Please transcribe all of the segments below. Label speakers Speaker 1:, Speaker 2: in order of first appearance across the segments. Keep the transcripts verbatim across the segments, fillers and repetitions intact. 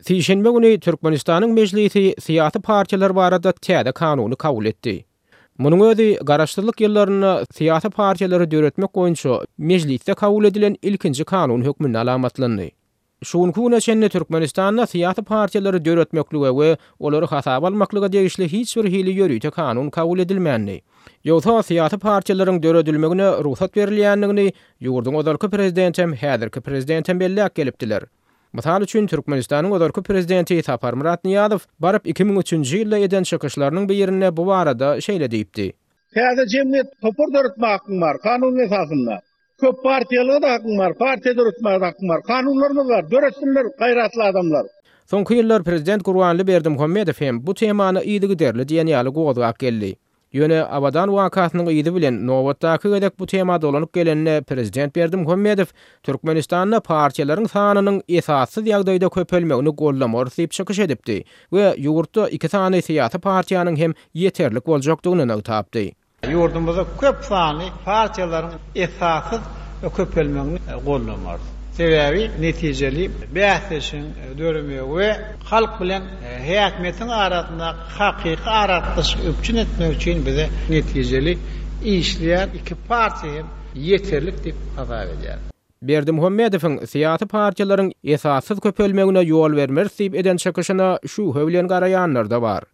Speaker 1: Sişenbe güni Türkmenistanyň Mejlisi syýasy partiýalar barada täze kanuny kabul etdi. Munuň özi garaşsyzlyk ýyllarynda syýasy partiýalary döretmek boýunça mejlisde kabul edilen ilkinji kanun hökmünde alamatlandy. Şu günki güne çenli Türkmenistanda syýasy partiýalary döretmeklige we olary hasaba almaklyga degişli hiç bir hili ýörite kanun kabul edilmändi. Ýogsa syýasy partiýalaryň döredilmegine rugsat berilýändigini ýurduň ozalky prezidentem, häzirki prezidentem belläp gelipdiler. Mysal üçin Türkmenistanyň ozalky prezidenti Saparmyrat Nyýazow baryp iki müň üçünji ýylda eden çykyşlarynyň birinde bu barada şeýle diýipdi.
Speaker 2: Täze jemgyýet topar döretmek hakyň bar, kanun esasynda. Köp partiýalyga da hakyň bar, partiýa döretmäge hakyň bar. Kanunlarymyz bar, döretsinler gaýratly adamlar.
Speaker 1: Soňky ýyllar prezident Gurbanguly Berdimuhamedow hem bu temany yzygiderli diýen ýaly gozgap geldi. Ýöne Abadan wakasynyň yzy bilen nobatdaky gezek bu tema dolanyp gelende prezident Berdimuhamedow Türkmenistanda partiýalaryň sanynyň esassyz ýagdaýda köpelmegini gollamarys diýip çykyş edipdi we ýurtda iki sany syýasy partiýanyň hem ýeterlik boljakdygyny nygtapdy.
Speaker 3: Ýurdumyzda köp sanly partiýalaryň esassyz köpelmegini gollamarys. Sebäbi netijeli bäsleşigiň döremegi we halk bilen häkimiýetiň arasynda hakyky aragatnaşyk üpjün etmek üçin bize netijeli işleýän iki partiýa hem ýeterlik diýip hasap edýär.
Speaker 1: Berdimuhamedowyň syýasy partiýalaryň esassyz köpelmegine ýol bermeris diýip eden çykyşyna şübhe bilen garaýanlar da bar.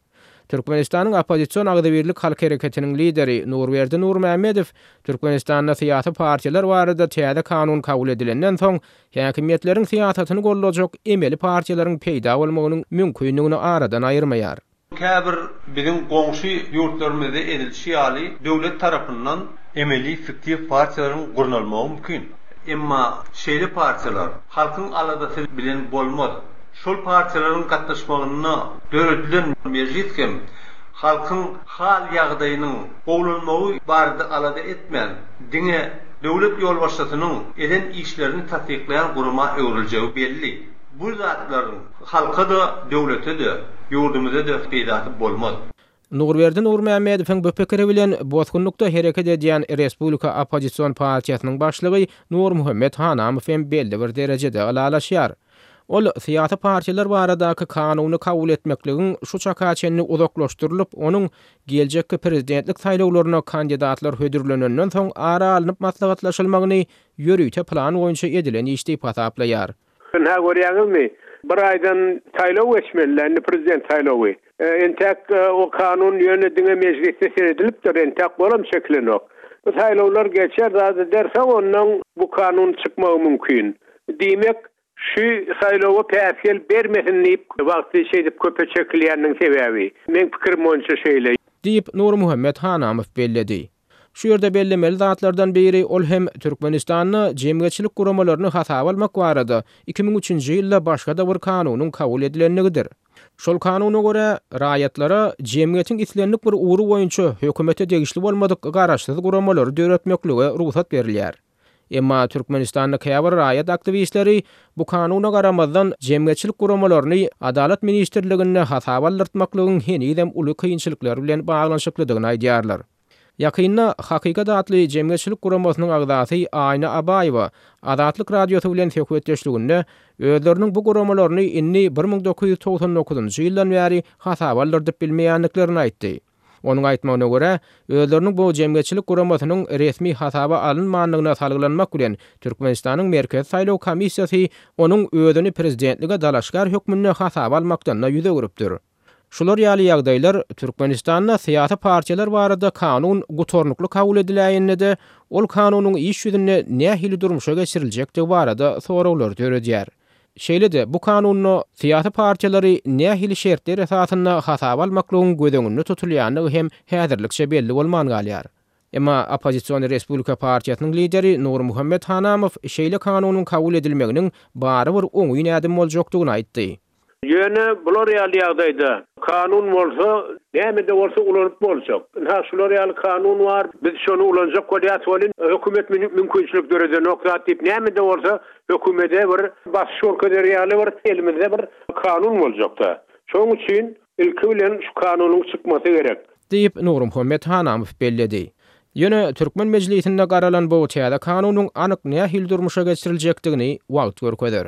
Speaker 1: Türkmenistanyň oppozision Agzybirlik halk hereketiniň lideri Nurberdi Nurmämmedow Türkmenistanda syýasy partiýalar barada täze kanun kabul edilenden soň häkimiýetleriň syýasatyny gollajak emeli partiýalaryň peýda bolmagynyň mümkinligini aradan aýyrmaýar.
Speaker 4: Käbir biziň goňşy ýurtlarymyzda edilişi ýaly döwlet tarapyndan emeli fiktiv partiýalaryň gurnalmagy mümkin. Emma şeýle partiýalar halkyň aladasy bilen bolmaz. Şol partiýalaryň gatnaşmagynda döredilen mejlis hem halkyň hal ýagdaýynyň gowulanmagy barada alada etmän, diňe döwlet ýolbaşçysynyň eden işlerini tassyklaýan gurama öwrüljegi belli. Bu zatlaryň halka da, döwlete-de, ýurdumyza-da peýdasy bolmaz.
Speaker 1: Nurberdi Nurmämmedowyň bu pikiri bilen bosgunlykda hereket edýän Respublika oppozision partiýasynyň başlygy Nurmuhammet Hanamow hem belli bir derejede ylalaşýar. Ol syýasy partiýalar baradaky kanuny kabul etmekligiň şu çaka çenli uzaklaşdyrylyp, onuň geljekki prezidentlik saýlawlaryna kandidatlar hödürlenenden soň ara alnyp maslahatlaşylmagyny ýörite plan boýunça edilen iş diýip hasaplaýar.
Speaker 2: Nä görýäňizmi? Bir aýdan saýlaw geçmeli, indi prezident saýlawy. E, entek e, o kanun ýöne diňe mejlisde seredilipdir, entek bolam çekilenok. Bu saýlawlar geçer zady derse ondan bu kanun çykmagy mümkin. Diýmek şu saýlawa päsgel bermesin diýip wagtly şeýdip köpe çekilýäniniň sebäbi. Men pikirim boýunça şeýle.
Speaker 1: Diýip Nurmuhammet Hanamow belledi. Şu ýerde bellemeli zatlardan biri ol hem Türkmenistanda jemgyýetçilik guramalaryny hasaba almak barada iki müň üçünji ýylda başga da bir kanunyň kabul edilenligidir. Şol kanuna görä raýatlara jemgyýetiň islendik bir ugry boýunça hökümete degişli bolmadyk garaşsyz guramalary döretmeklige rugsat berilýär. Emma Türkmenistanda käbir raýat aktiwistleri bu kanuna garamazdan jemgyýetçilik guramalaryny Adalat ministrliginde hasaba aldyrtmaklygyň henizem uly kynçylyklar bilen baglanyşyklydygyny aýdýarlar. Ýakynda Hakykat atly jemgyýetçilik guramasynyň agzasy Aýna Abaýewa Azatlyk radiosy bilen söhbetdeşliginde özleriniň bu guramalaryny indi bir müň dokuz ýüz togsan dokuzynjy ýyldan bäri hasaba aldyrdyp bilmeýändiklerini aýtdy. Onuň aýtmagyna görä, özleriniň bu jemgyýetçilik guramasynyň resmi hasaba alynmandygyna salgylanmak bilen Türkmenistanyň Merkezi Saýlaw Komissiýasy onuň özüni prezidentlige dalaşgar hökmünde hasaba almakdan da ýüz öwrüpdir. Şular ýaly ýagdaýlar Türkmenistanda syýasy partiýalar barada kanun gutarnykly kabul ediläýende-de, ol kanunyň iş ýüzünde nähili durmuşa geçiriljekdigi barada soraglar döredýär. Şeýle-de bu kanunda syýasy partiýalary nähili şertler esasynda hasaba almaklygyň göz öňünde tutulýandygy hem häzirlikçe belli bolman galýar. Emma oppozision Respublika partiýasynyň lideri Nurmuhammet Hanamow şeýle kanunyň kabul edilmeginiň barybir oňyn ädim boljakdygyny aýtdy.
Speaker 2: Ýöne bular ýaly ýagdaýda kanun bolsa, näme-de bolsa ulanyp boljak. Ynha şular ýaly kanun bar, biz şonu ulanjak bolýas welin, hökümet mümkinçilik döredenok zat diýip, näme-de bolsa hökümete bir basyş görkezer ýaly bir elimizde bir kanun boljakda. Şonuň üçin ilki bilen şu kanunyň çykmasy gerek.
Speaker 1: Diýip Nurmuhammet Hanamow belledi. Ýöne Türkmen Mejlisinde garalan bu täze kanunyň anyk nähili durmuşa geçiriljekdigini wagt görkezer.